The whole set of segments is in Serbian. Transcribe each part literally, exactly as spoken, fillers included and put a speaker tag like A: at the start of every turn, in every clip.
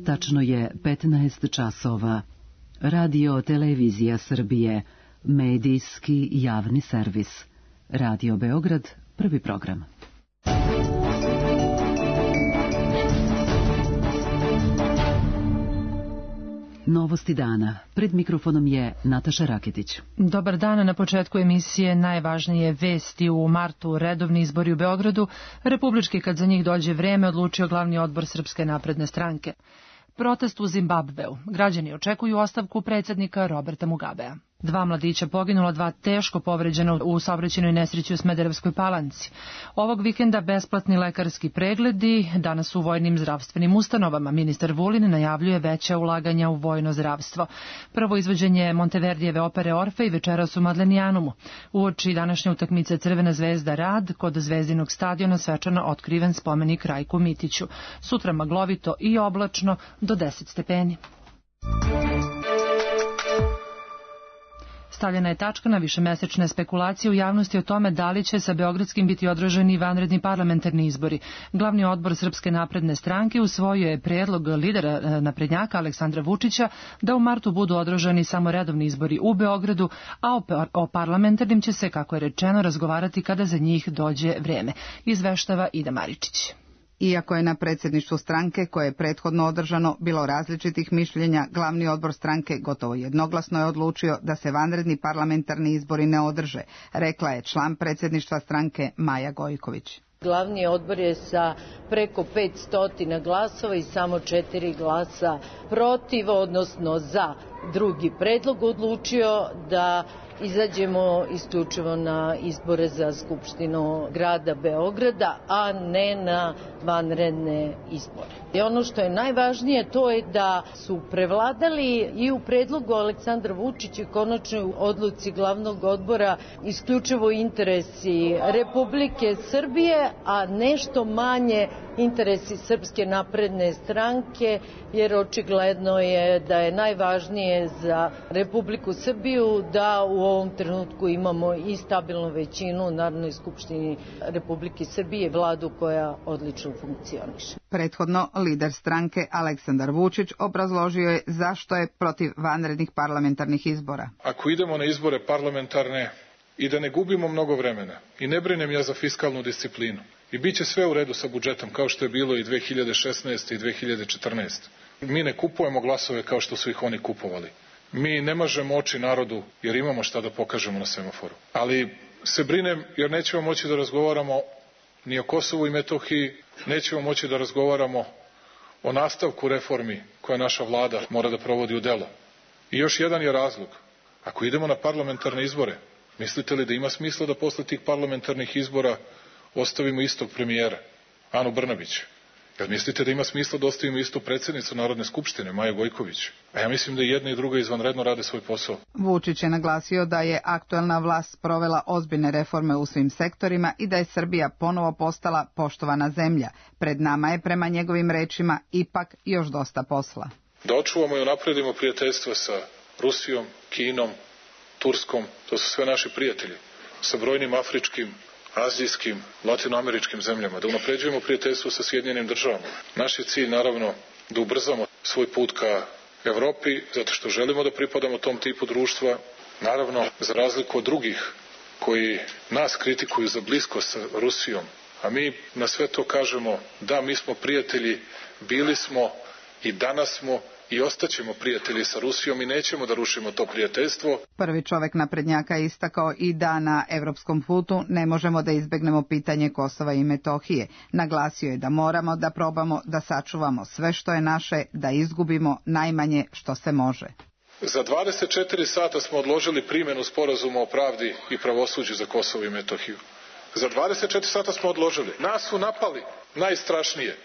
A: Tačno je petnaest časova. Radio Televizija Srbije, medijski javni servis. Radio Beograd, prvi program. Novosti dana. Pred mikrofonom je Nataša Raketić.
B: Dobar dan. Na početku emisije najvažnije vesti. U martu redovni izbori u Beogradu. Republički, kad za njih dođe vreme, odlučio glavni odbor Srpske napredne stranke. Protest u Zimbabveu. Građani očekuju ostavku predsjednika Roberta Mugabea. Dva mladića poginula, dva teško povređena u saobraćajnoj nesreći u Smederevskoj Palanci. Ovog vikenda besplatni lekarski pregledi, danas u vojnim zdravstvenim ustanovama. Ministar Vulin najavljuje veća ulaganja u vojno zdravstvo. Prvo izvođenje Monteverdijeve opere Orfej večeras u Madlenijanumu. Uoči današnje utakmice Crvena zvezda Rad, kod Zvezdinog stadiona svečano otkriven spomenik Rajku Mitiću. Sutra maglovito i oblačno do deset stepeni. Stavljena je tačka na višemesečne spekulacije u javnosti o tome da li će sa Beogradskim biti održani vanredni parlamentarni izbori. Glavni odbor Srpske napredne stranke usvojio je predlog lidera naprednjaka Aleksandra Vučića da u martu budu održani samo redovni izbori u Beogradu, a o parlamentarnim će se, kako je rečeno, razgovarati kada za njih dođe vreme. Izveštava Ida Maričić.
C: Iako je na predsjedništvu stranke, koje je prethodno održano, bilo različitih mišljenja, glavni odbor stranke gotovo jednoglasno je odlučio da se vanredni parlamentarni izbori ne održe, rekla je član predsjedništva stranke Maja Gojković.
D: Glavni odbor je sa preko petsto glasova i samo četiri glasa protiv, odnosno za drugi predlog, odlučio da izađemo isključivo na izbore za Skupštinu grada Beograda, a ne na vanredne izbore. I ono što je najvažnije, to je da su prevladali i u predlogu Aleksandra Vučića i konačnoj odluci glavnog odbora isključivo interesi Republike Srbije, a nešto manje interesi Srpske napredne stranke, jer očigledno je da je najvažnije za Republiku Srbiju da u ovom trenutku imamo i stabilnu većinu u Narodnoj skupštini Republike Srbije, vladu koja odlično funkcioniše.
C: Prethodno, lider stranke Aleksandar Vučić obrazložio je zašto je protiv vanrednih parlamentarnih izbora.
E: Ako idemo na izbore parlamentarne i da ne gubimo mnogo vremena, i ne brinem ja za fiskalnu disciplinu, i bit će sve u redu sa budžetom kao što je bilo i dve hiljade šesnaeste. i dve hiljade četrnaeste. Mi ne kupujemo glasove kao što su ih oni kupovali. Mi ne mažemo oči narodu jer imamo šta da pokažemo na semaforu. Ali se brinem jer nećemo moći da razgovaramo ni o Kosovu i Metohiji, nećemo moći da razgovaramo o nastavku reformi koje naša vlada mora da provodi u delo. I još jedan je razlog. Ako idemo na parlamentarne izbore, mislite li da ima smisla da posle tih parlamentarnih izbora ostavimo istog premijera, Anu Brnabić? Jel mislite da ima smisla da ostavimo istu predsjednicu Narodne skupštine, Maju Gojković? A ja mislim da i jedna i druga izvanredno rade svoj posao.
C: Vučić je naglasio da je aktuelna vlast provela ozbiljne reforme u svim sektorima i da je Srbija ponovo postala poštovana zemlja. Pred nama je, prema njegovim rečima, ipak još dosta posla.
E: Da očuvamo i unapredimo prijateljstva sa Rusijom, Kinom, Turskom, to su sve naši prijatelji, sa brojnim afričkim, azijskim, latinoameričkim zemljama, da unapređujemo prijateljstvo sa Sjedinjenim državama. Naš je cilj, naravno, da ubrzamo svoj put ka Evropi, zato što želimo da pripadamo tom tipu društva, naravno, za razliku od drugih koji nas kritikuju za bliskost sa Rusijom, a mi na sve to kažemo da, mi smo prijatelji, bili smo i danas smo i ostaćemo prijatelji sa Rusijom i nećemo da rušimo to prijateljstvo.
C: Prvi čovek naprednjaka je istakao i da na evropskom putu ne možemo da izbegnemo pitanje Kosova i Metohije. Naglasio je da moramo da probamo da sačuvamo sve što je naše, da izgubimo najmanje što se može.
E: Za dvadeset četiri sata smo odložili primjenu sporazuma o pravdi i pravosuđu za Kosovo i Metohiju. Za dvadeset četiri sata smo odložili. Nas su napali najstrašnije.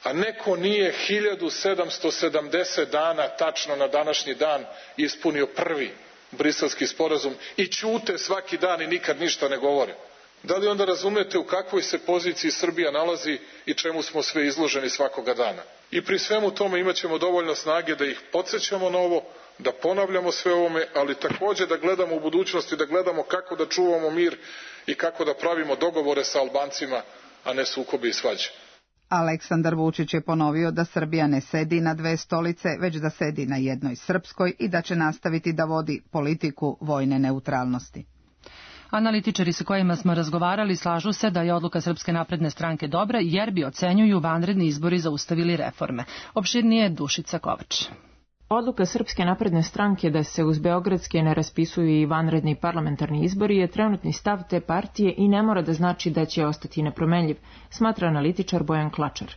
E: A neko nije hiljadu sedamsto sedamdeset dana tačno na današnji dan ispunio prvi Briselski sporazum i ćute svaki dan i nikad ništa ne govore. Da li onda razumete u kakvoj se poziciji Srbija nalazi i čemu smo sve izloženi svakoga dana? I pri svemu tome imat ćemo dovoljno snage da ih podsjećamo na ovo, da ponavljamo sve ovome, ali također da gledamo u budućnosti, da gledamo kako da čuvamo mir i kako da pravimo dogovore sa Albancima, a ne sukobe i svađe.
C: Aleksandar Vučić je ponovio da Srbija ne sedi na dve stolice, već da sedi na jednoj srpskoj i da će nastaviti da vodi politiku vojne neutralnosti.
B: Analitičari sa kojima smo razgovarali slažu se da je odluka Srpske napredne stranke dobra jer bi, ocenjuju, vanredni izbori zaustavili reforme. Opširnije Dušica Kovač.
F: Odluka Srpske napredne stranke da se uz beogradske ne raspisuju i vanredni parlamentarni izbori je trenutni stav te partije i ne mora da znači da će ostati nepromenljiv, smatra analitičar Bojan Klačar.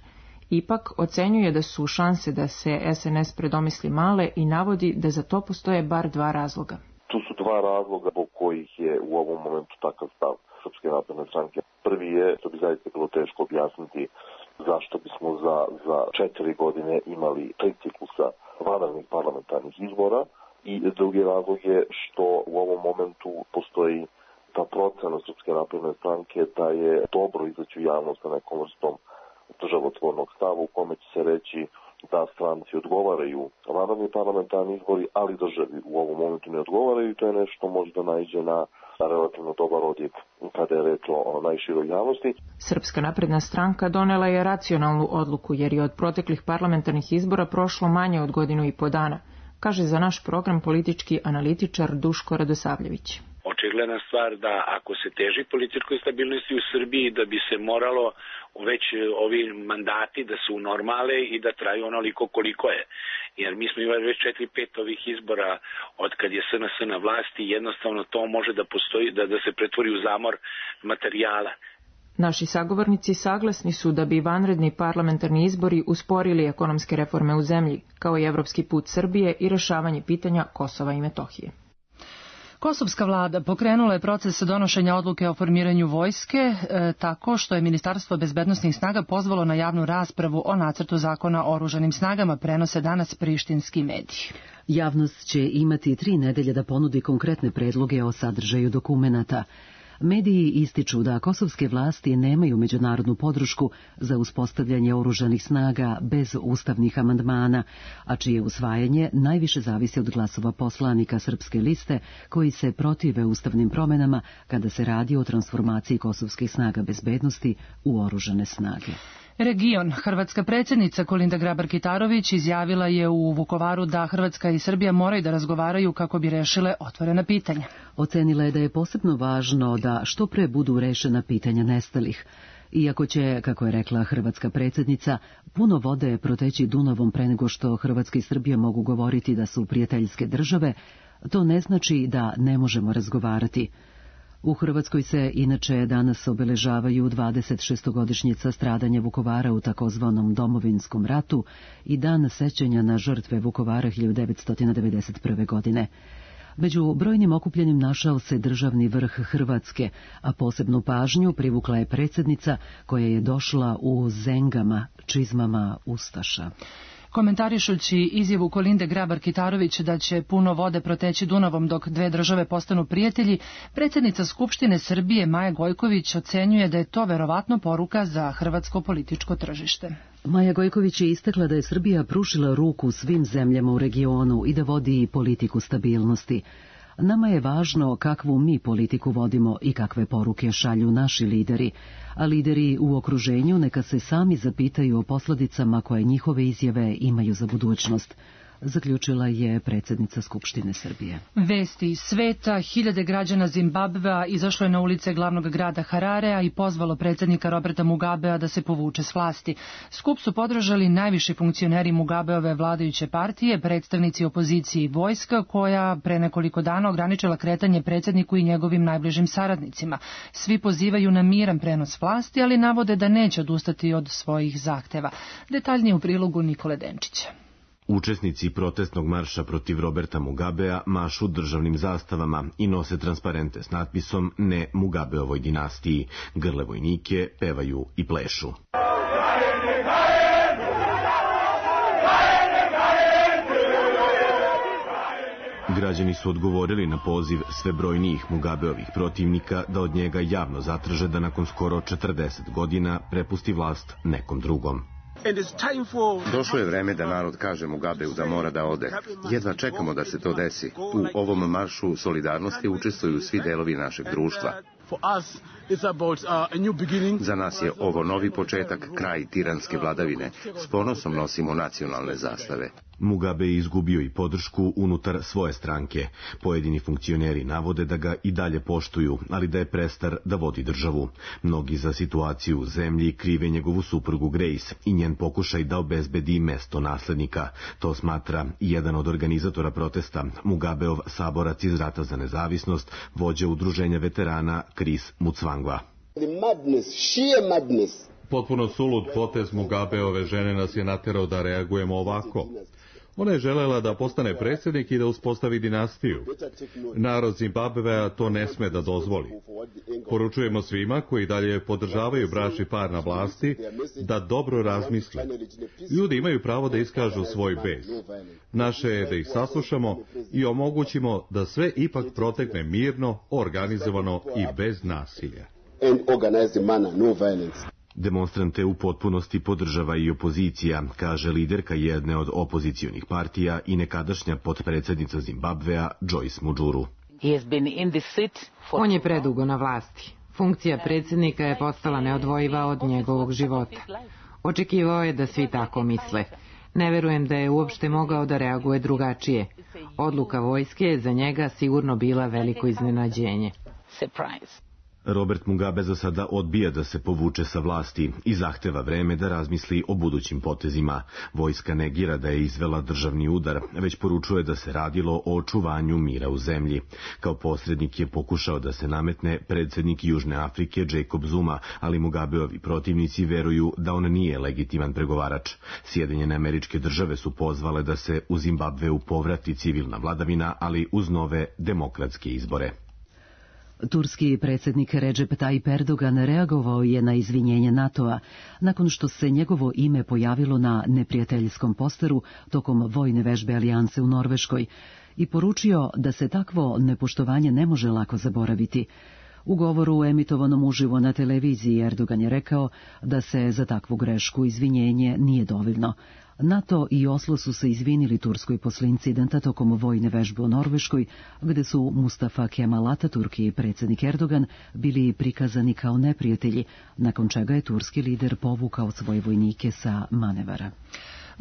F: Ipak ocenjuje da su šanse da se S N S predomisli male i navodi da za to postoje bar dva razloga.
G: Tu su dva razloga po kojih je u ovom momentu takav stav Srpske napredne stranke. Prvi je, to bi zaista bilo teško objasniti, zašto bismo za, za četiri godine imali tri ciklusa vanrednih parlamentarnih izbora, i drugi razlog je što u ovom momentu postoji ta procena Srpske napredne stranke da je dobro izaći u javnost sa nekom vrstom državotvornog stava u kome će se reći da stranci odgovaraju vanredni parlamentarni izbori, ali državi u ovom momentu ne odgovaraju, i to je nešto može da naiđe na relativno dobar odjek kada je reč o najširoj javnosti.
F: Srpska napredna stranka donela je racionalnu odluku jer je od proteklih parlamentarnih izbora prošlo manje od godinu i po dana, kaže za naš program politički analitičar Duško Radosavljević.
H: Očigledna stvar da ako se teži političkoj stabilnosti u Srbiji, da bi se moralo već ovi mandati da su normale i da traju onoliko koliko je. Jer mi smo imali već četiri pet ovih izbora od kad je S N S na vlasti i jednostavno to može da postoji, da, da se pretvori u zamor materijala.
F: Naši sagovornici saglasni su da bi vanredni parlamentarni izbori usporili ekonomske reforme u zemlji, kao i evropski put Srbije i rešavanje pitanja Kosova i Metohije.
B: Kosovska vlada pokrenula je proces donošenja odluke o formiranju vojske e, tako što je Ministarstvo bezbednosnih snaga pozvalo na javnu raspravu o nacrtu zakona o oružanim snagama, prenose danas prištinski mediji.
A: Javnost će imati tri nedelje da ponudi konkretne predloge o sadržaju dokumenata. Mediji ističu da kosovske vlasti nemaju međunarodnu podršku za uspostavljanje oružanih snaga bez ustavnih amandmana, a čije usvajanje najviše zavisi od glasova poslanika Srpske liste koji se protive ustavnim promenama kada se radi o transformaciji kosovskih snaga bezbednosti u oružane snage.
B: Region. Hrvatska predsjednica Kolinda Grabar-Kitarović izjavila je u Vukovaru da Hrvatska i Srbija moraju da razgovaraju kako bi rešile otvorena pitanja.
A: Ocenila je da je posebno važno da što pre budu rešena pitanja nestalih. Iako će, kako je rekla hrvatska predsjednica, puno vode proteći Dunavom pre nego što Hrvatska i Srbija mogu govoriti da su prijateljske države, to ne znači da ne možemo razgovarati. U Hrvatskoj se inače danas obeležavaju dvadesetšestogodišnjica stradanja Vukovara u takozvanom Domovinskom ratu i dan sećanja na žrtve Vukovara hiljadu devetsto devedeset prve. godine. Među brojnim okupljenim našao se državni vrh Hrvatske, a posebnu pažnju privukla je predsjednica koja je došla u zengama, čizmama ustaša.
B: Komentarišući izjavu Kolinde Grabar-Kitarović da će puno vode proteći Dunavom dok dve države postanu prijatelji, predsjednica Skupštine Srbije Maja Gojković ocenjuje da je to verovatno poruka za hrvatsko političko tržište.
A: Maja Gojković je istakla da je Srbija pružila ruku svim zemljama u regionu i da vodi politiku stabilnosti. Nama je važno kakvu mi politiku vodimo i kakve poruke šalju naši lideri, a lideri u okruženju neka se sami zapitaju o posledicama koje njihove izjave imaju za budućnost, zaključila je predsjednica Skupštine Srbije.
B: Vesti iz sveta. Hiljade građana Zimbabvea izašlo je na ulice glavnog grada Hararea i pozvalo predsjednika Roberta Mugabea da se povuče s vlasti. Skup su podržali najviši funkcioneri Mugabeove vladajuće partije, predstavnici opozicije i vojska, koja pre nekoliko dana ograničila kretanje predsjedniku i njegovim najbližim saradnicima. Svi pozivaju na miran prenos vlasti, ali navode da neće odustati od svojih zahteva. Detaljnije u prilogu Nikole Denčića.
I: Učesnici protestnog marša protiv Roberta Mugabea mašu državnim zastavama i nose transparente s natpisom Ne Mugabeovoj dinastiji, grle vojnike, pevaju i plešu. Građani su odgovorili na poziv sve brojnijih Mugabeovih protivnika da od njega javno zatraže da nakon skoro četrdeset godina prepusti vlast nekom drugom.
J: Došlo je vreme da narod kaže Mugabeu da mora da ode. Jedva čekamo da se to desi. U ovom maršu solidarnosti učestvuju svi delovi našeg društva. Za nas je ovo novi početak, kraj tiranske vladavine. S ponosom nosimo nacionalne zastave.
I: Mugabe je izgubio i podršku unutar svoje stranke. Pojedini funkcioneri navode da ga i dalje poštuju, ali da je prestar da vodi državu. Mnogi za situaciju u zemlji krive njegovu suprugu Grace i njen pokušaj da obezbedi mesto naslednika. To smatra i jedan od organizatora protesta, Mugabeov saborac iz rata za nezavisnost, vođa udruženja veterana Chris Mutsvangwa.
K: Potpuno sulud potez Mugabeove žene nas je naterao da reagujemo ovako. Ona je želela da postane predsjednik i da uspostavi dinastiju. Narod Zimbabvea to ne sme da dozvoli. Poručujemo svima koji dalje podržavaju bračni par na vlasti da dobro razmisle. Ljudi imaju pravo da iskažu svoj bes. Naše je da ih saslušamo i omogućimo da sve ipak protekne mirno, organizovano i bez nasilja.
I: Demonstrante u potpunosti podržava i opozicija, kaže liderka jedne od opozicionih partija i nekadašnja potpredsjednica Zimbabvea Joyce Mujuru.
L: On je predugo na vlasti. Funkcija predsjednika je postala neodvojiva od njegovog života. Očekivao je da svi tako misle. Ne verujem da je uopšte mogao da reaguje drugačije. Odluka vojske je za njega sigurno bila veliko iznenađenje.
I: Robert Mugabe za sada odbija da se povuče sa vlasti i zahteva vreme da razmisli o budućim potezima. Vojska negira da je izvela državni udar, već poručuje da se radilo o očuvanju mira u zemlji. Kao posrednik je pokušao da se nametne predsjednik Južne Afrike Jacob Zuma, ali Mugabeovi protivnici veruju da on nije legitiman pregovarač. Sjedinjene Američke Države su pozvale da se u Zimbabveu povrati civilna vladavina, ali uz nove demokratske izbore.
A: Turski predsjednik Recep Tayyip Erdogan reagovao je na izvinjenje NATO-a nakon što se njegovo ime pojavilo na neprijateljskom posteru tokom vojne vežbe Alijanse u Norveškoj i poručio da se takvo nepoštovanje ne može lako zaboraviti. U govoru emitovanom uživo na televiziji Erdogan je rekao da se za takvu grešku izvinjenje nije dovoljno. NATO i Oslo su se izvinili Turskoj posle incidenta tokom vojne vežbe u Norveškoj, gde su Mustafa Kemal Ataturk i predsjednik Erdogan bili prikazani kao neprijatelji, nakon čega je turski lider povukao svoje vojnike sa manevara.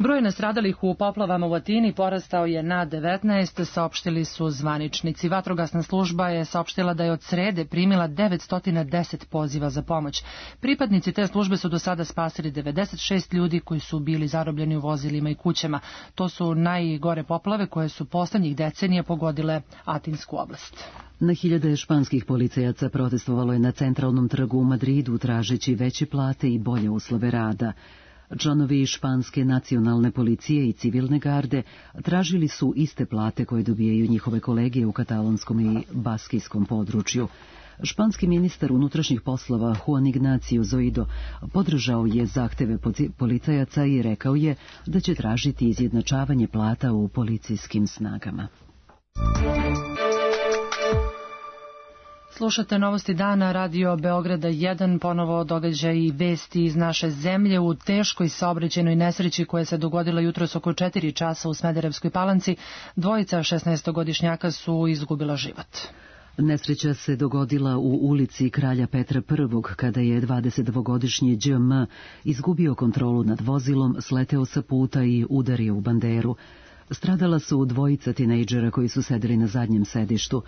B: Broj nastradalih u poplavama u Atini porastao je na devetnaest, saopštili su zvaničnici. Vatrogasna služba je saopštila da je od srede primila devetsto deset poziva za pomoć. Pripadnici te službe su do sada spasili devedeset šest ljudi koji su bili zarobljeni u vozilima i kućama. To su najgore poplave koje su poslednjih decenija pogodile Atinsku oblast.
A: Na hiljade španskih policajaca protestovalo je na centralnom trgu u Madridu tražeći veće plate i bolje uslove rada. Članovi španske nacionalne policije i civilne garde tražili su iste plate koje dobijaju njihove kolege u katalonskom i baskijskom području. Španski ministar unutrašnjih poslova Juan Ignacio Zoido podržao je zahteve policajaca i rekao je da će tražiti izjednačavanje plata u policijskim snagama.
B: Slušate Novosti dana, radio Beograda jedan, ponovo događaj i vesti iz naše zemlje. U teškoj saobraćajnoj nesreći koja se dogodila jutros oko četiri časa u Smederevskoj Palanci, dvojica šesnaestogodišnjaka su izgubila život.
A: Nesreća se dogodila u ulici Kralja Petra Prvog, kada je dvadesetdvogodišnji Đ M izgubio kontrolu nad vozilom, sleteo sa puta i udario u banderu. Stradala su dvojica tinejdžera koji su sedeli na zadnjem sedištu.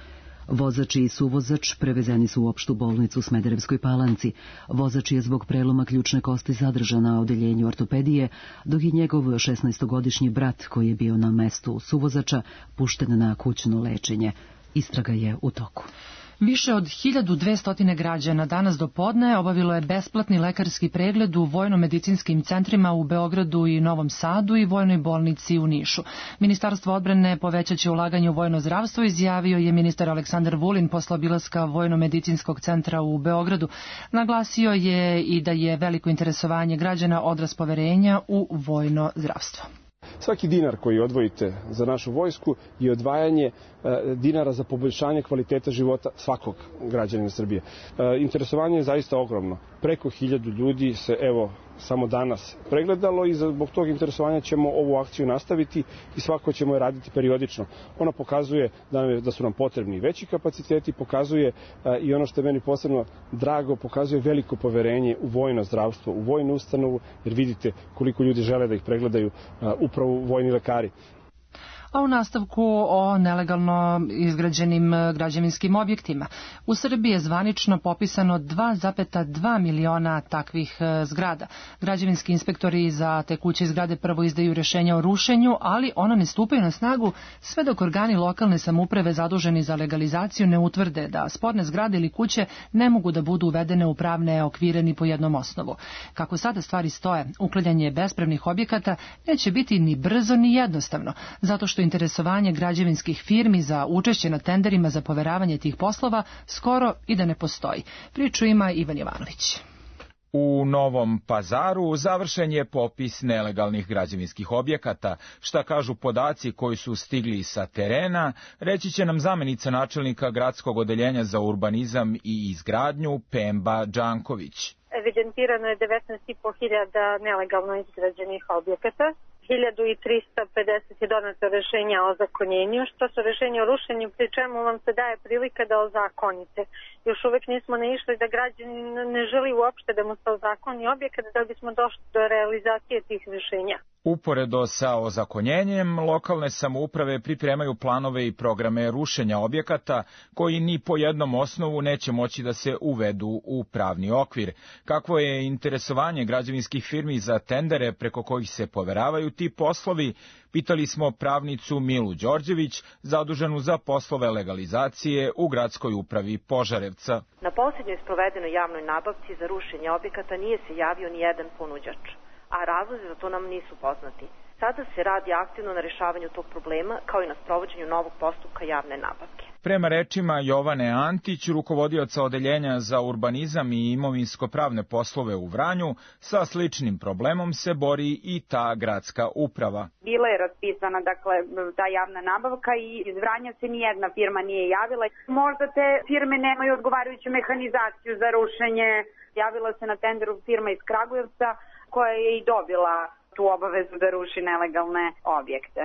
A: Vozač i suvozač prevezeni su u opštu bolnicu u Smederevskoj Palanci. Vozač je zbog preloma ključne kosti zadržan na odeljenju ortopedije, dok je njegov šesnaestogodišnji brat, koji je bio na mestu suvozača, pušten na kućno lečenje. Istraga je u toku.
B: Više od hiljadu dvesta građana danas do podne obavilo je besplatni lekarski pregled u vojno-medicinskim centrima u Beogradu i Novom Sadu i vojnoj bolnici u Nišu. Ministarstvo odbrane povećaće ulaganje u vojno zdravstvo, izjavio je ministar Aleksandar Vulin posle obilaska vojno-medicinskog centra u Beogradu. Naglasio je i da je veliko interesovanje građana odraz poverenja u vojno zdravstvo.
M: Svaki dinar koji odvojite za našu vojsku je odvajanje dinara za poboljšanje kvaliteta života svakog građanina Srbije. Interesovanje je zaista ogromno. Preko hiljadu ljudi se evo samo danas pregledalo i zbog tog interesovanja ćemo ovu akciju nastaviti i svako ćemo je raditi periodično. Ona pokazuje da su nam potrebni veći kapaciteti, pokazuje i ono što je meni posebno drago, pokazuje veliko poverenje u vojno zdravstvo, u vojnu ustanovu, jer vidite koliko ljudi žele da ih pregledaju upravo vojni lekari.
B: A u nastavku o nelegalno izgrađenim građevinskim objektima. U Srbiji je zvanično popisano dva zarez dva miliona takvih zgrada. Građevinski inspektori za te kuće i zgrade prvo izdaju rješenja o rušenju, ali ona ne stupaju na snagu sve dok organi lokalne samouprave zaduženi za legalizaciju ne utvrde da sporne zgrade ili kuće ne mogu da budu uvedene u pravne okvire ni po jednom osnovu. Kako sada stvari stoje, uklanjanje bespravnih objekata neće biti ni brzo ni jednostavno, zato što interesovanje građevinskih firmi za učešće na tenderima za poveravanje tih poslova skoro i da ne postoji. Priču ima Ivan Jovanović.
N: U Novom Pazaru završen je popis nelegalnih građevinskih objekata. Šta kažu podaci koji su stigli sa terena, reći će nam zamenica načelnika gradskog odeljenja za urbanizam i izgradnju Pemba Đanković.
O: Evidentirano je devetnaest i po hiljada nelegalno izgrađenih objekata. hiljadu trista pedeset je doneto rešenja o ozakonjenju, što su rešenja o rušenju, pri čemu vam se daje prilika da ozakonite. Još uvek nismo naišli da građanin ne želi uopšte da mu se ozakoni objekat da bismo došli do realizacije tih rešenja.
N: Uporedo sa ozakonjenjem, lokalne samouprave pripremaju planove i programe rušenja objekata koji ni po jednom osnovu neće moći da se uvedu u pravni okvir. Kakvo je interesovanje građevinskih firmi za tendere preko kojih se poveravaju ti poslovi, pitali smo pravnicu Milu Đorđević, zaduženu za poslove legalizacije u gradskoj upravi Požarevca.
P: Na posljednjoj sprovedenoj javnoj nabavci za rušenje objekata nije se javio ni jedan ponuđač, a razlozi za to nam nisu poznati. Sada se radi aktivno na rešavanju tog problema, kao i na sprovođenju novog postupka javne nabavke.
N: Prema rečima Jovane Antić, rukovodioca odeljenja za urbanizam i imovinsko-pravne poslove u Vranju, sa sličnim problemom se bori i ta gradska uprava.
Q: Bila je raspisana dakle, ta javna nabavka i iz Vranja se nijedna firma nije javila. Možda te firme nemaju odgovarajuću mehanizaciju za rušenje. Javila se na tenderu firma iz Kragujevca koja je i dobila tu obavezu da ruši nelegalne objekte.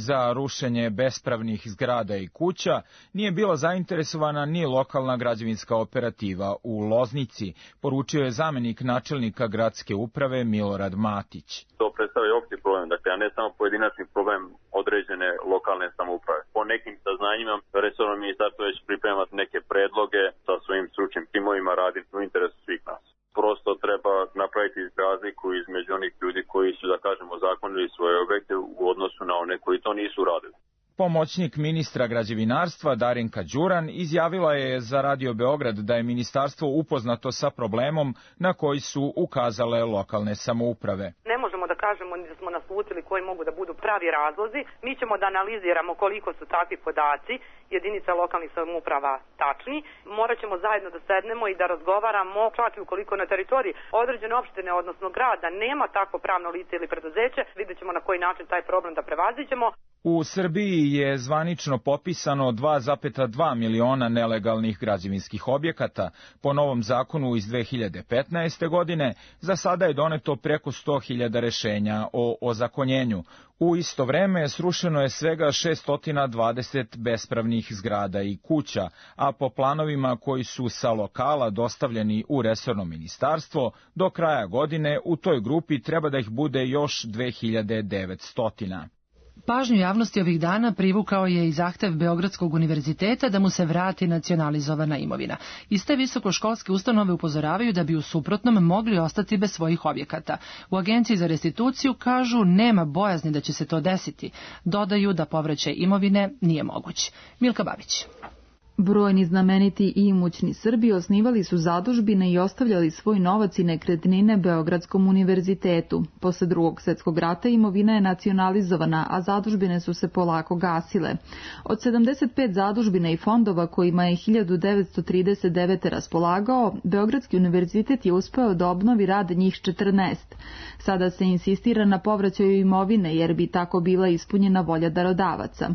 N: Za rušenje bespravnih zgrada i kuća nije bila zainteresovana ni lokalna građevinska operativa u Loznici, poručio je zamenik načelnika gradske uprave Milorad Matić.
R: To predstavlja opšti problem, dakle, a ne samo pojedinačni problem određene lokalne samouprave. Po nekim saznanjima, resorno ministarstvo već priprema neke predloge sa svojim stručnim timovima, raditi u interesu svih nas. Prosto treba napraviti razliku između onih ljudi koji su, da kažemo, ozakonili svoje objekte u odnosu na one koji to nisu radili.
N: Pomoćnik ministra građevinarstva Darinka Đuran izjavila je za Radio Beograd da je ministarstvo upoznato sa problemom na koji su ukazale lokalne samouprave.
S: Ne možemo da kažemo ni da smo naslutili koji mogu da budu pravi razlozi. Mi ćemo da analiziramo koliko su takvi podaci jedinica lokalnih samouprava tačni. Morat ćemo zajedno da sednemo i da razgovaramo, čak i ukoliko na teritoriji određene opštine, odnosno grada, nema takvo pravno lice ili preduzeće, vidjet ćemo na koji način taj problem da prevaziđemo.
N: U Srbiji je zvanično popisano dva zarez dva miliona nelegalnih građevinskih objekata. Po novom zakonu iz dve hiljade petnaeste. godine za sada je doneto preko sto hiljada rešenja o ozakonjenju. U isto vreme srušeno je svega šesto dvadeset bespravnih zgrada i kuća, a po planovima koji su sa lokala dostavljeni u resorno ministarstvo, do kraja godine u toj grupi treba da ih bude još dve hiljade devetsto.
B: Pažnju javnosti ovih dana privukao je i zahtev Beogradskog univerziteta da mu se vrati nacionalizovana imovina. Iste visokoškolske ustanove upozoravaju da bi u suprotnom mogli ostati bez svojih objekata. U Agenciji za restituciju kažu nema bojazni da će se to desiti. Dodaju da povraćaj imovine nije moguć. Milka Babić.
T: Brojni znameniti i imućni Srbi osnivali su zadužbine i ostavljali svoj novac i nekretnine Beogradskom univerzitetu. Posle drugog svjetskog rata imovina je nacionalizovana, a zadužbine su se polako gasile. Od sedamdeset pet zadužbina i fondova kojima je hiljadu devetsto trideset devete. raspolagao, Beogradski univerzitet je uspeo da obnovi rad njih četrnaest. Sada se insistira na povraćaju imovine jer bi tako bila ispunjena volja darodavaca.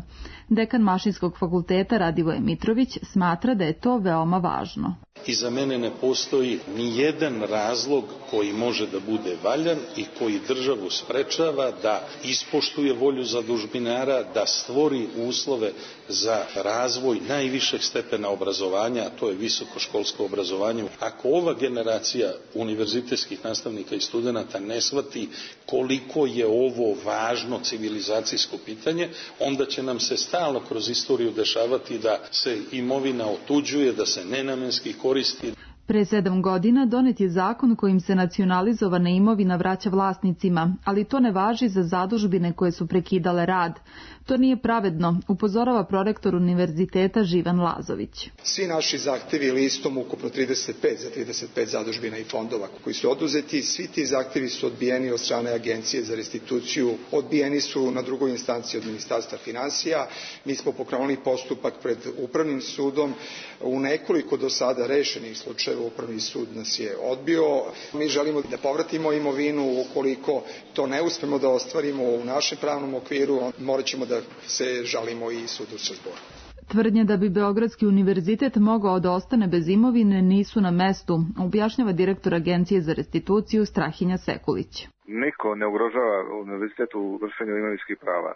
T: Dekan Mašinskog fakulteta Radivoje Mitrović Lazović smatra da je to veoma važno.
U: I za mene ne postoji ni jedan razlog koji može da bude valjan i koji državu sprečava da ispoštuje volju zadužbinara, da stvori uslove za razvoj najvišeg stepena obrazovanja, a to je visokoškolsko obrazovanje. Ako ova generacija univerzitetskih nastavnika i studenata ne shvati koliko je ovo važno civilizacijsko pitanje, onda će nam se stalno kroz istoriju dešavati da se imovina otuđuje, da se nenamenski koristi.
T: Pre sedam godina donet je zakon kojim se nacionalizovana imovina vraća vlasnicima, ali to ne važi za zadužbine koje su prekidale rad. To nije pravedno, upozorava prorektor univerziteta Živan Lazović.
V: Svi naši zahtevi listom ukupno trideset pet za trideset pet zadužbina i fondova koji su oduzeti, svi ti zahtevi su odbijeni od strane Agencije za restituciju, odbijeni su na drugoj instanciji od Ministarstva finansija. Mi smo pokrenuli postupak pred Upravnim sudom. U nekoliko do sada rešenih slučajeva Upravni sud nas je odbio. Mi želimo da povratimo imovinu. Ukoliko to ne uspemo da ostvarimo u našem pravnom okviru, morat ćemo da se žalimo i sudu u Strazboru.
T: Tvrdnje da bi Beogradski univerzitet mogao da ostane bez imovine nisu na mestu, objašnjava direktor Agencije za restituciju Strahinja Sekulić.
W: Niko ne ugrožava univerzitet u vršenju imovinskih prava.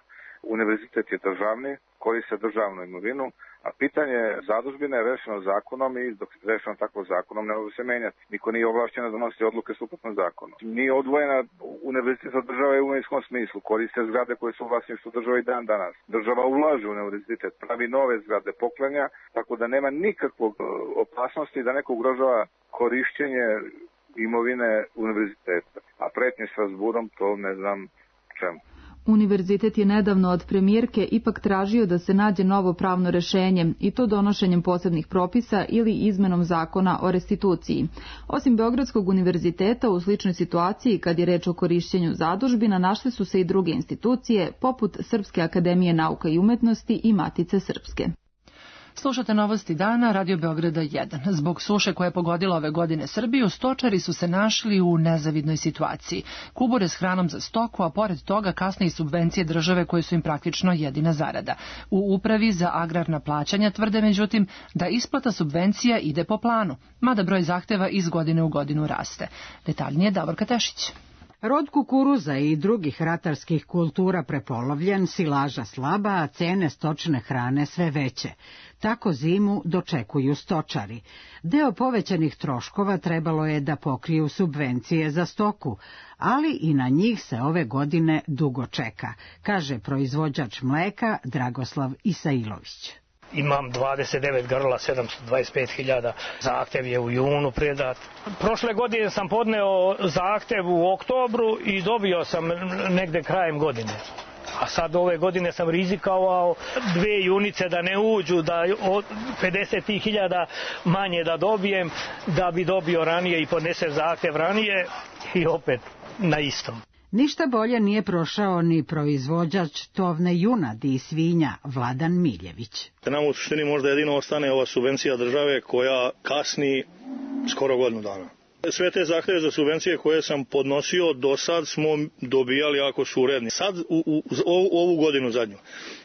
W: Univerzitet je državni, koriste državnu imovinu, a pitanje zadužbine je rešeno zakonom i dok je rešeno tako zakonom ne može se menjati. Niko nije ovlašćen da donosi odluke suprotno zakonu. Nije odvojena univerzitet od države u imovinskom smislu. Koriste zgrade koje su u vlasništvu države i dan danas. Država ulaže u univerzitet, pravi nove zgrade, poklanja, tako da nema nikakvog opasnosti da neko ugrožava korišćenje imovine univerziteta. A pretnje s Strazburom, to ne znam čemu.
T: Univerzitet je nedavno od premijerke ipak tražio da se nađe novo pravno rešenje i to donošenjem posebnih propisa ili izmenom zakona o restituciji. Osim Beogradskog univerziteta u sličnoj situaciji kad je reč o korišćenju zadužbina našle su se i druge institucije poput Srpske akademije nauka i umetnosti i Matice Srpske.
B: Slušate novosti dana, Radio Beograda jedan. Zbog suše koja je pogodila ove godine Srbiju, stočari su se našli u nezavidnoj situaciji. Kubure s hranom za stoku, a pored toga kasne i subvencije države koje su im praktično jedina zarada. U Upravi za agrarna plaćanja tvrde međutim da isplata subvencija ide po planu, mada broj zahteva iz godine u godinu raste. Detaljnije Davorka Tešić.
X: Rod kukuruza i drugih ratarskih kultura prepolovljen, silaža slaba, a cene stočne hrane sve veće. Tako zimu dočekuju stočari. Deo povećanih troškova trebalo je da pokriju subvencije za stoku, ali i na njih se ove godine dugo čeka, kaže proizvođač mleka Dragoslav Isailović.
Y: Imam dvadeset devet grla, sedamsto dvadeset pet hiljada, zahtev je u junu predat. Prošle godine sam podneo zahtev u oktobru i dobio sam negde krajem godine. A sad ove godine sam rizikovao dve junice da ne uđu, da od pedeset hiljada manje da dobijem, da bi dobio ranije i podnese zahtev ranije i opet na istom.
X: Ništa bolje nije prošao ni proizvođač tovne junadi i svinja Vladan Miljević.
Z: Nam u suštini možda jedino ostane ova subvencija države koja kasni skoro godinu dana. Sve te zahteve za subvencije koje sam podnosio do sad smo dobijali ako su uredni. Sad u, u, u ovu godinu zadnju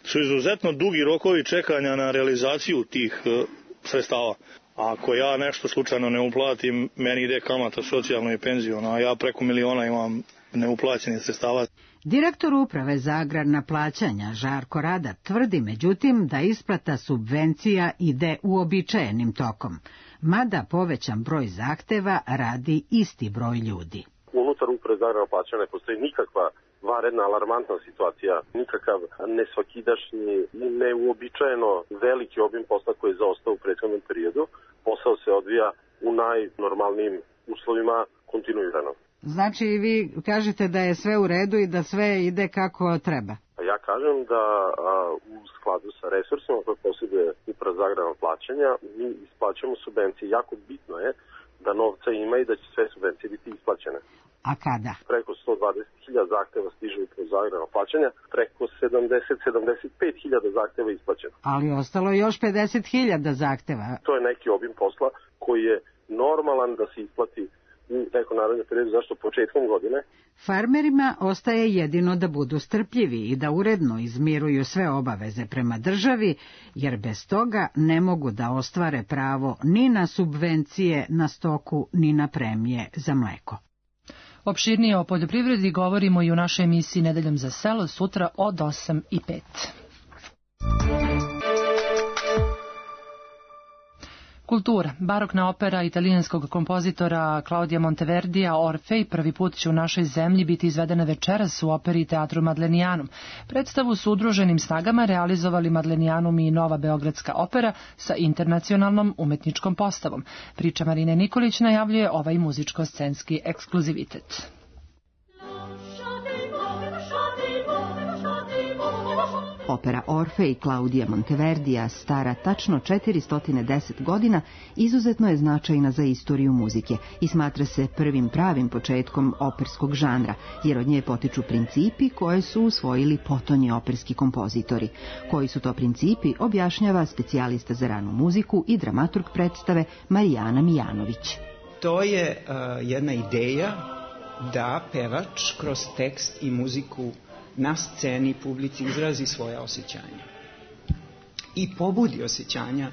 Z: su izuzetno dugi rokovi čekanja na realizaciju tih uh, sredstava. Ako ja nešto slučajno ne uplatim, meni ide kamata socijalno i penzijona, a ja preko miliona imam neuplaćenih sredstava.
X: Direktor Uprave za agrarna plaćanja Žarko Radar tvrdi međutim da isplata subvencija ide uobičajenim tokom, mada povećan broj zahteva radi isti broj ljudi.
G: Unutar Uprave za agrarna plaćanja ne postoji nikakva vanredna alarmantna situacija, nikakav nesvakidašnji i neuobičajeno veliki obim posla koji je zaostao u prethodnom periodu. Posao se odvija u najnormalnijim uslovima kontinuirano.
X: Znači vi kažete da je sve u redu i da sve ide kako treba?
G: Ja kažem da a, u skladu sa resursima koje posjeduje Uprava za agrarna plaćanja mi isplaćamo subvencije. Jako bitno je da novca ima i da će sve subvencije biti isplaćene.
X: A kada?
G: Preko sto dvadeset hiljada zahteva stiže Uprava za agrarna plaćanja, preko sedamdeset do sedamdeset pet hiljada zahteva isplaćeno.
X: Ali ostalo još pedeset hiljada zahteva.
G: To je neki obim posla koji je normalan da se isplati
C: u nekom narednom periodu, zašto početkom godine.
X: Farmerima ostaje jedino da budu strpljivi i da uredno izmiruju sve obaveze prema državi, jer bez toga ne mogu da ostvare pravo ni na subvencije na stoku, ni na premije za mleko.
B: Opširnije o poljoprivredi govorimo i u našoj emisiji Nedeljom za selo sutra od osam i pet. Kultura. Barokna opera italijanskog kompozitora Claudia Monteverdija Orfej prvi put će u našoj zemlji biti izvedena večeras u operi i teatru Madlenijanum. Predstavu su udruženim snagama realizovali Madlenijanum i Nova Beogradska opera sa internacionalnom umetničkom postavom. Priča Marine Nikolić najavljuje ovaj muzičko-scenski ekskluzivitet.
D: Opera Orfej Claudia Monteverdija, stara tačno četiristo deset godina, izuzetno je značajna za istoriju muzike i smatra se prvim pravim početkom operskog žanra, jer od nje potiču principi koje su usvojili potonji operski kompozitori. Koji su to principi, objašnjava specijalista za ranu muziku i dramaturg predstave Marijana Mijanović.
E: To je uh, jedna ideja da pevač kroz tekst i muziku na sceni publici izrazi svoje osjećanja i pobudi osjećanja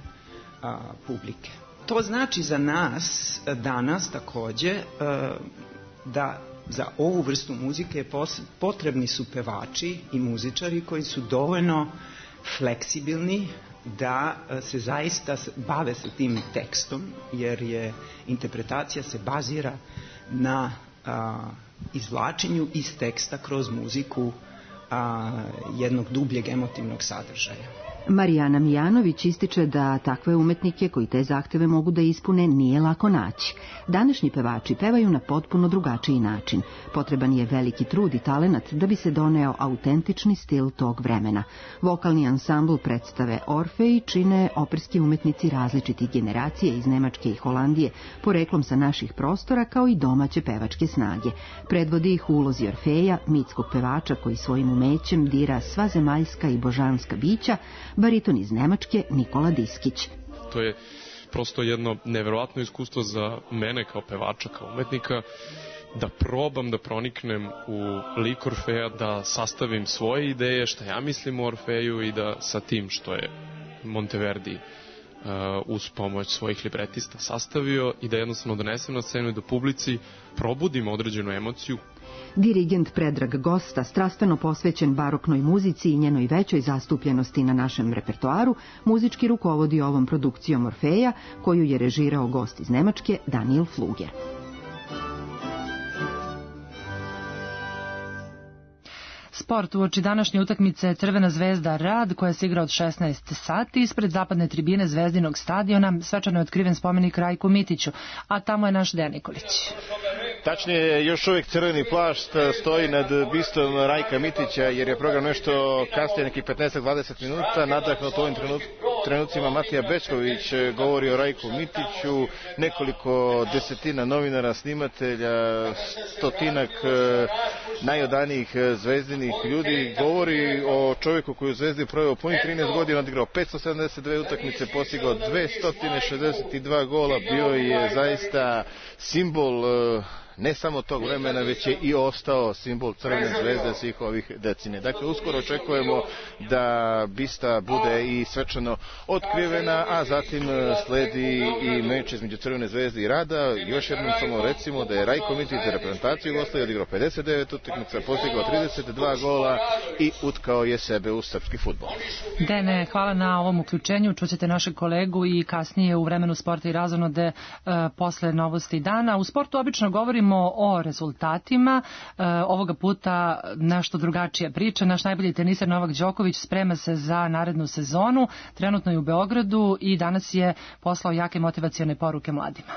E: a, publike. To znači za nas danas takođe a, da za ovu vrstu muzike potrebni su pevači i muzičari koji su dovoljno fleksibilni da se zaista bave sa tim tekstom, jer je interpretacija se bazira na a, izvlačenju iz teksta kroz muziku a, jednog dubljeg emotivnog sadržaja.
D: Marijana Mijanović ističe da takve umetnike koji te zahteve mogu da ispune nije lako naći. Današnji pevači pevaju na potpuno drugačiji način. Potreban je veliki trud i talenat da bi se doneo autentični stil tog vremena. Vokalni ansambl predstave Orfej čine operski umetnici različitih generacija iz Nemačke i Holandije, poreklom sa naših prostora, kao i domaće pevačke snage. Predvodi ih u ulozi Orfeja, mitskog pevača koji svojim umećem dira sva zemaljska i božanska bića, bariton iz Nemačke Nikola Diskić.
F: To je prosto jedno neverovatno iskustvo za mene kao pevača, kao umetnika, da probam da proniknem u lik Orfeja, da sastavim svoje ideje, šta ja mislim o Orfeju i da sa tim što je Monteverdi uh, uz pomoć svojih libretista sastavio i da jednostavno donesem na scenu i do publici probudim određenu emociju.
D: Dirigent Predrag Gosta, strastveno posvećen baroknoj muzici i njenoj većoj zastupljenosti na našem repertoaru, muzički rukovodi ovom produkcijom Orfeja, koju je režirao gost iz Nemačke Daniel Fluger.
B: Sport. Uoči današnje utakmice Crvena zvezda Rad, koja se igra od šesnaest sati, ispred zapadne tribine Zvezdinog stadiona svečano je otkriven spomenik Rajku Mitiću, a tamo je naš Dejan Nikolić.
H: Tačnije, još uvijek crveni plašt stoji nad bistom Rajka Mitića, jer je program nešto kasnije, nekih petnaest do dvadeset minuta, nadahnut u ovim trenucima Matija Bečković govori o Rajku Mitiću, nekoliko desetina novinara, snimatelja, stotinak najodanijih zvezdinih ljudi, govori o čovjeku koji u Zvezdi proveo punih trinaest godina, odigrao petsto sedamdeset dve utakmice, postigao dvesta šezdeset dva gola, bio je zaista simbol ne samo tog vremena, već je i ostao simbol Crvene zvezde svih ovih decenija. Dakle, uskoro očekujemo da bista bude i svečano otkrivena, a zatim sledi i meč između Crvene zvezde i Rada. Još jednom samo recimo da je Rajko Mitić za reprezentaciju Jugoslavije odigrao pedeset devet utakmica, postigao trideset dva gola i utkao je sebe u srpski fudbal.
B: Dene, hvala na ovom uključenju. Čućete našeg kolegu i kasnije u vremenu sporta i razonode e, posle novosti dana. U sportu obično govorimo o rezultatima. E, ovoga puta nešto drugačija priča. Naš najbolji teniser Novak Đoković sprema se za narednu sezonu. Trenutno je u Beogradu i danas je poslao jake motivacione poruke mladima.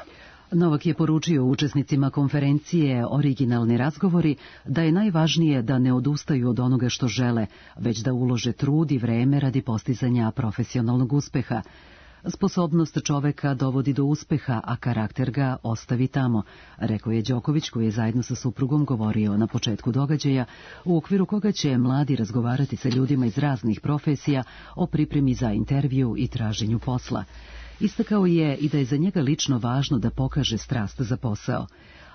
A: Novak je poručio učesnicima konferencije Originalni razgovori da je najvažnije da ne odustaju od onoga što žele, već da ulože trud i vreme radi postizanja profesionalnog uspeha. Sposobnost čoveka dovodi do uspeha, a karakter ga ostavi tamo, rekao je Đoković, koji je zajedno sa suprugom govorio na početku događaja, u okviru koga će mladi razgovarati sa ljudima iz raznih profesija o pripremi za intervju i traženju posla. Istakao je i da je za njega lično važno da pokaže strast za posao.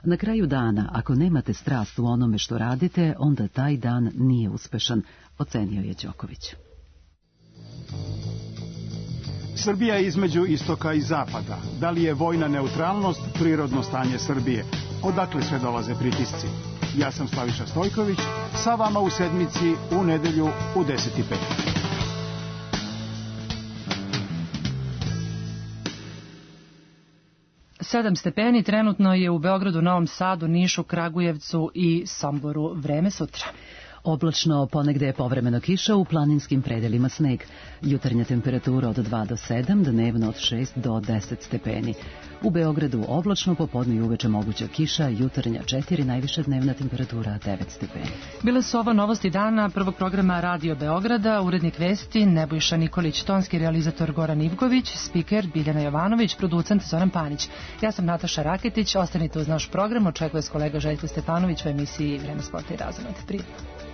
A: Na kraju dana, ako nemate strast u onome što radite, onda taj dan nije uspešan, ocenio je Đoković.
I: Srbija je između istoka i zapada. Da li je vojna neutralnost prirodno stanje Srbije? Odakle sve dolaze pritisci? Ja sam Slaviša Stojković, sa vama u sedmici u nedelju u deset i pet.
B: Sedam stepeni trenutno je u Beogradu, Novom Sadu, Nišu, Kragujevcu i Somboru. Vreme sutra.
A: Oblačno, ponegde je povremeno kiša, u planinskim predelima sneg. Jutarnja temperatura od dva do sedam, dnevno od šest do deset stepeni. U Beogradu oblačno, popodne i uveče moguća kiša, jutarnja četiri, najviša dnevna temperatura devet stepeni.
B: Bile su ovo novosti dana prvog programa Radio Beograda, urednik vesti Nebojša Nikolić, tonski realizator Goran Ivković, spiker Biljana Jovanović, producent Zoran Panić. Ja sam Nataša Raketić, ostanite uz naš program, očekuje s kolega Željko Stefanović u emisiji Vreme sporta i razonod. Prijetno.